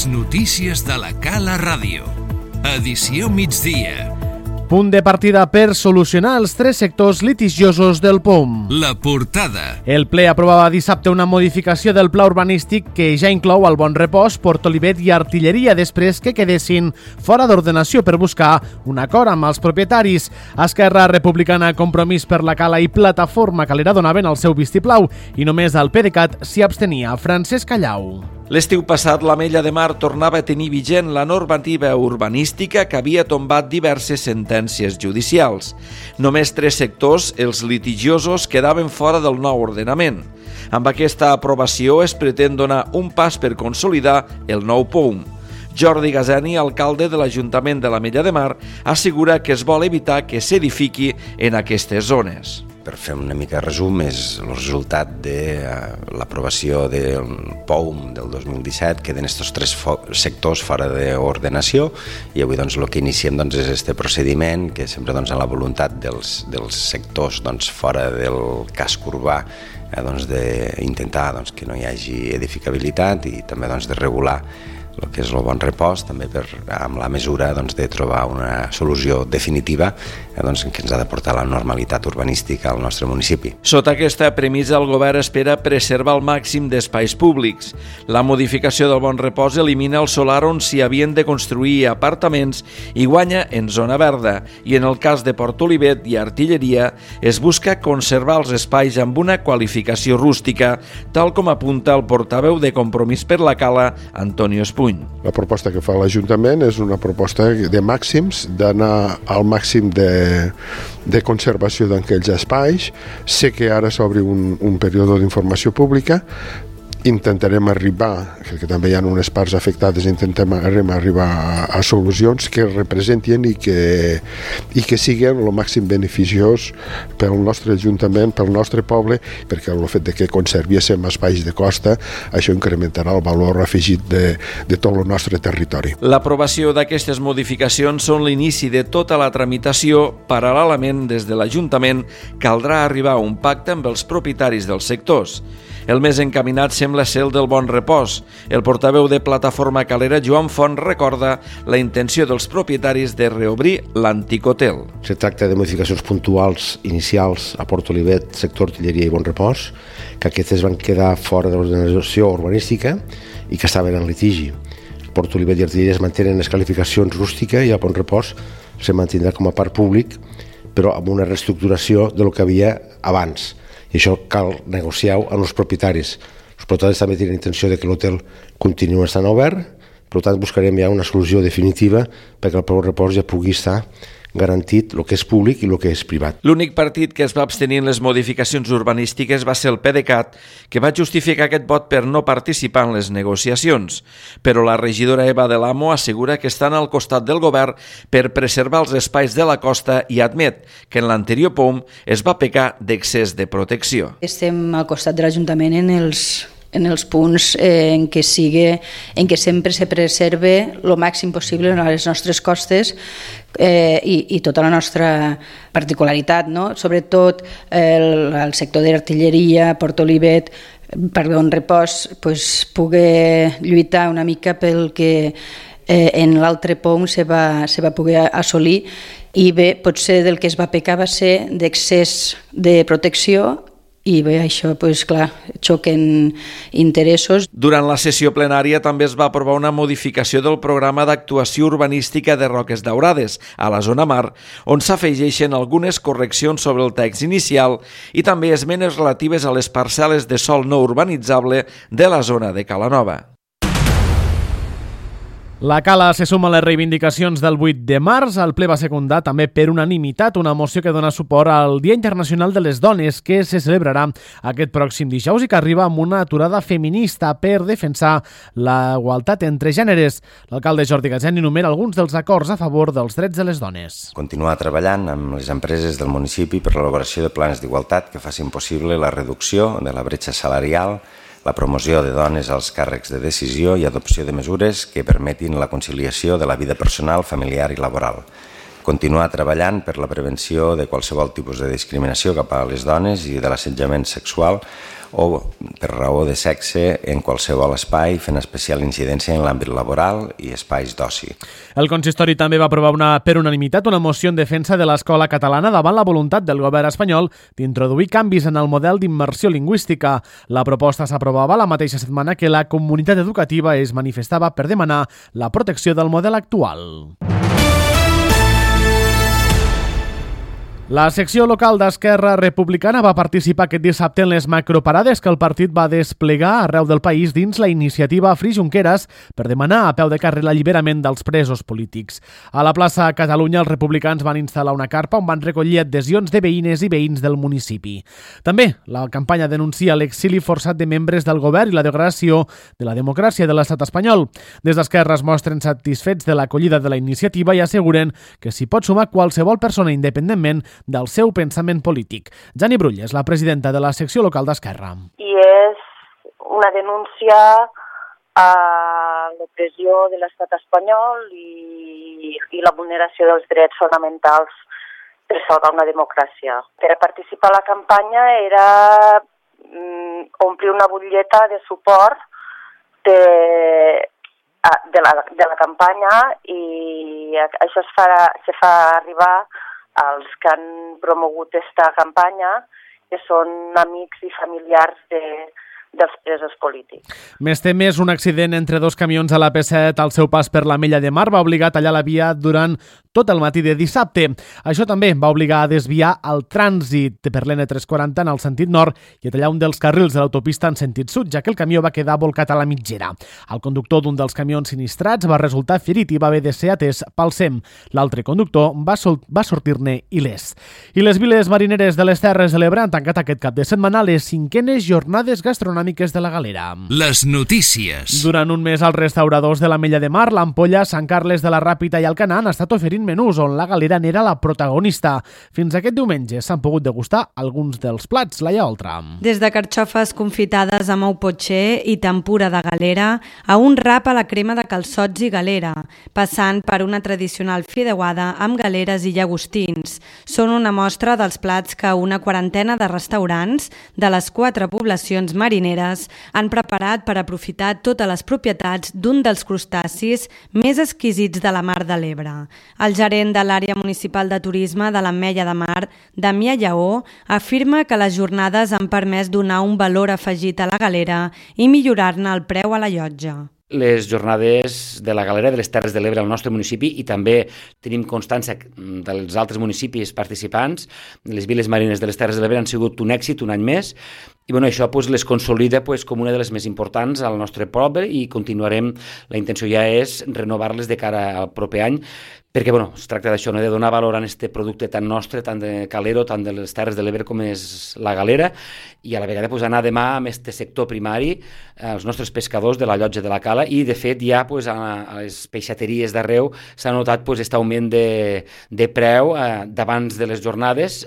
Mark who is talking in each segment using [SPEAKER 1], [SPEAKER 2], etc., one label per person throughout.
[SPEAKER 1] Les notícies de la Cala Ràdio. Edició migdia.
[SPEAKER 2] Punt de partida per solucionar els 3 sectors litigiosos del POUM.
[SPEAKER 1] La portada.
[SPEAKER 2] El ple aprovava dissabte una modificació del pla urbanístic que ja inclou el Bon Repòs, Port Olivet i Artilleria després que quedessin fora d'ordenació per buscar un acord amb els propietaris. Esquerra Republicana, Compromís per la Cala i Plataforma Calera donaven el seu vistiplau i només el PDeCAT s'hi abstenia. Francesc Callau.
[SPEAKER 3] L'estiu passat, l'Ametlla de Mar tornava a tenir vigent la normativa urbanística que havia tombat diverses sentències judicials. Només 3 sectors, els litigiosos, quedaven fora del nou ordenament. Amb aquesta aprovació es pretén donar un pas per consolidar el nou POUM. Jordi Gazani, alcalde de l'Ajuntament de l'Ametlla de Mar, assegura que es vol evitar que s'edifiqui en aquestes zones.
[SPEAKER 4] Per fer una mica de resum, és el resultat de l'aprovació del POUM del 2017, queden aquests 3 sectors fora d'ordenació i avui el que iniciem és aquest procediment que sempre amb la voluntat dels sectors fora del casc urbà d'intentar que no hi hagi edificabilitat i també de regular el que és el Bon Repòs, també amb la mesura de trobar una solució definitiva que ens ha de portar la normalitat urbanística al nostre municipi.
[SPEAKER 3] Sota aquesta premissa, el govern espera preservar el màxim d'espais públics. La modificació del Bon Repòs elimina el solar on s'hi havien de construir apartaments i guanya en zona verda. I en el cas de Port Olivet i Artilleria es busca conservar els espais amb una qualificació rústica, tal com apunta el portaveu de Compromís per la Cala, Antonio Espuny.
[SPEAKER 5] La proposta que fa l'Ajuntament és una proposta de màxims, d'anar al màxim de conservació d'aquells espais. Sé que ara s'obre un període d'informació pública. Intentarem arribar, que també hi ha unes parts afectades, arribar a solucions que representin i que siguin el màxim beneficiós pel nostre Ajuntament, pel nostre poble, perquè el fet que conservíssim espais de costa, això incrementarà el valor afegit de tot el nostre territori.
[SPEAKER 3] L'aprovació d'aquestes modificacions són l'inici de tota la tramitació. Paral·lelament, des de l'Ajuntament, caldrà arribar a un pacte amb els propietaris dels sectors. El més encaminat sembla ser el del Bon Repòs. El portaveu de Plataforma Calera, Joan Font, recorda la intenció dels propietaris de reobrir l'antic hotel.
[SPEAKER 6] Se tracta de modificacions puntuals inicials a Port Olivet, sector Artilleria i Bon Repòs, que aquestes van quedar fora de l'ordenació urbanística i que estaven en litigi. Port Olivet i Artilleria es mantenen les qualificacions rústica i el Bon Repòs se mantindrà com a parc públic, però amb una reestructuració de lo que havia abans. I això cal negociar-ho amb els propietaris. Els propietaris també tenen intenció de que l'hotel continua estant obert, per tant buscarem ja una solució definitiva perquè el Bon Repòs ja pugui estar garantit el que és públic i el que és privat.
[SPEAKER 3] L'únic partit que es va abstenir en les modificacions urbanístiques va ser el PDeCAT, que va justificar aquest vot per no participar en les negociacions. Però la regidora Eva de l'Amo assegura que estan al costat del govern per preservar els espais de la costa i admet que en l'anterior POUM es va pecar d'excés de protecció.
[SPEAKER 7] Estem al costat de l'Ajuntament en els punts en què sempre se preserve el màxim possible a les nostres costes i tota la nostra particularitat, no? Sobretot el sector d'artilleria, Port Olivet, per Bon Repòs, poder lluitar una mica pel que en l'altre POUM se va poder assolir i bé, potser del que es va pecar va ser d'excés de protecció i bé, això, clar, xoquen interessos.
[SPEAKER 3] Durant la sessió plenària també es va aprovar una modificació del programa d'actuació urbanística de Roques Daurades, a la zona mar, on s'afegeixen algunes correccions sobre el text inicial i també esmenes relatives a les parcel·les de sòl no urbanitzable de la zona de Calanova.
[SPEAKER 2] La Cala se suma a les reivindicacions del 8 de març. El ple va secundar també per unanimitat una moció que dona suport al Dia Internacional de les Dones, que se celebrarà aquest pròxim dijous i que arriba amb una aturada feminista per defensar la igualtat entre gèneres. L'alcalde Jordi Gazani enumera alguns dels acords a favor dels drets de les dones.
[SPEAKER 4] Continuar treballant amb les empreses del municipi per l'elaboració de plans d'igualtat que facin possible la reducció de la bretxa salarial, la promoció de dones als càrrecs de decisió i adopció de mesures que permetin la conciliació de la vida personal, familiar i laboral. continuar treballant per la prevenció de qualsevol tipus de discriminació cap a les dones i de l'assetjament sexual o per raó de sexe en qualsevol espai, fent especial incidència en l'àmbit laboral i espais d'oci.
[SPEAKER 2] El consistori també va aprovar per unanimitat una moció en defensa de l'escola catalana davant la voluntat del govern espanyol d'introduir canvis en el model d'immersió lingüística. La proposta s'aprovava la mateixa setmana que la comunitat educativa es manifestava per demanar la protecció del model actual. La secció local d'Esquerra Republicana va participar aquest dissabte en les macroparades que el partit va desplegar arreu del país dins la iniciativa Free Junqueras per demanar a peu de carrer l'alliberament dels presos polítics. A la plaça Catalunya els republicans van instal·lar una carpa on van recollir adhesions de veïnes i veïns del municipi. També la campanya denuncia l'exili forçat de membres del govern i la degradació de la democràcia de l'estat espanyol. Des d'Esquerra es mostren satisfets de l'acollida de la iniciativa i asseguren que s'hi pot sumar qualsevol persona independentment del seu pensament polític. Jani Brull és la presidenta de la secció local d'Esquerra.
[SPEAKER 8] I és una denúncia a l'opressió de l'estat espanyol i la vulneració dels drets fonamentals per salvar una democràcia. Per a participar a la campanya era omplir una butlleta de suport de la campanya i això se fa arribar als que han promogut esta campanya, que són amics i familiars dels presos polítics.
[SPEAKER 2] Més temes, un accident entre dos camions a la P7 al seu pas per l'Ametlla de Mar va obligar a tallar la via durant tot el matí de dissabte. Això també va obligar a desviar el trànsit per l'N340 en el sentit nord i a tallar un dels carrils de l'autopista en sentit sud, ja que el camió va quedar volcat a la mitgera. El conductor d'un dels camions sinistrats va resultar ferit i va haver de ser atès pel SEM. L'altre conductor va sortir-ne il·lès. I les viles marineres de les Terres de l'Ebre han tancat aquest cap de setmana les 5enes jornades gastronòmiques de la Galera.
[SPEAKER 1] Les notícies.
[SPEAKER 2] Durant un mes, els restauradors de l'Ametlla de Mar, l'Ampolla, Sant Carles de la Ràpita i Alcanar han estat oferint menús on la Galera n'era la protagonista. Fins aquest diumenge s'han pogut degustar alguns dels plats. Laia Oltra.
[SPEAKER 9] Des de carxofes confitades amb ou potxer i tempura de galera a un rap a la crema de calçots i galera, passant per una tradicional fideuada amb galeres i llagostins. Són una mostra dels plats que una quarantena de restaurants de les 4 poblacions marineres han preparat per aprofitar totes les propietats d'un dels crustacis més exquisits de la Mar de l'Ebre. El gerent de l'àrea municipal de turisme de l'Ametlla de Mar, Damià Lleó, afirma que les jornades han permès donar un valor afegit a la galera i millorar-ne el preu a la llotja.
[SPEAKER 10] Les jornades de la Galera de les Terres de l'Ebre al nostre municipi i també tenim constància dels altres municipis participants. Les viles marines de les Terres de l'Ebre han sigut un èxit un any més i això les consolida com una de les més importants al nostre poble i continuarem. La intenció ja és renovar-les de cara al proper any perquè es tracta d'això, de donar valor a aquest producte tan nostre, tant de calero, tant de les Terres de l'Ebre com és la galera i a la vegada anar a mà amb aquest sector primari, els nostres pescadors de la llotja de la Cala i de fet ja a les peixateries d'arreu s'ha notat aquest augment de preu d'abans de les jornades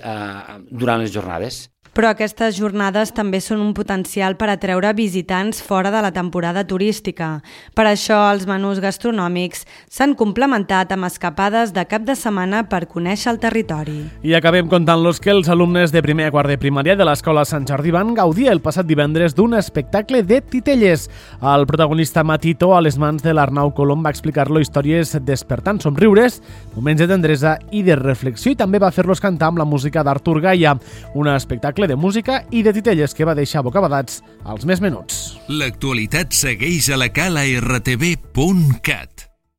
[SPEAKER 10] durant les jornades.
[SPEAKER 9] Però aquestes jornades també són un potencial per atreure visitants fora de la temporada turística. Per això els menús gastronòmics s'han complementat amb escapades de cap de setmana per conèixer el territori.
[SPEAKER 2] I acabem contant-los que els alumnes de primer a quart de primària de l'Escola Sant Jordi van gaudir el passat divendres d'un espectacle de titelles. El protagonista Matito, a les mans de l'Arnau Colom, va explicar-lo històries despertant somriures, moments de tendresa i de reflexió i també va fer-los cantar amb la música d'Artur Gaia, un espectacle de música i de titelles que va deixar bocabadats als més menuts.
[SPEAKER 1] L'actualitat segueix a la cala rtv.cat.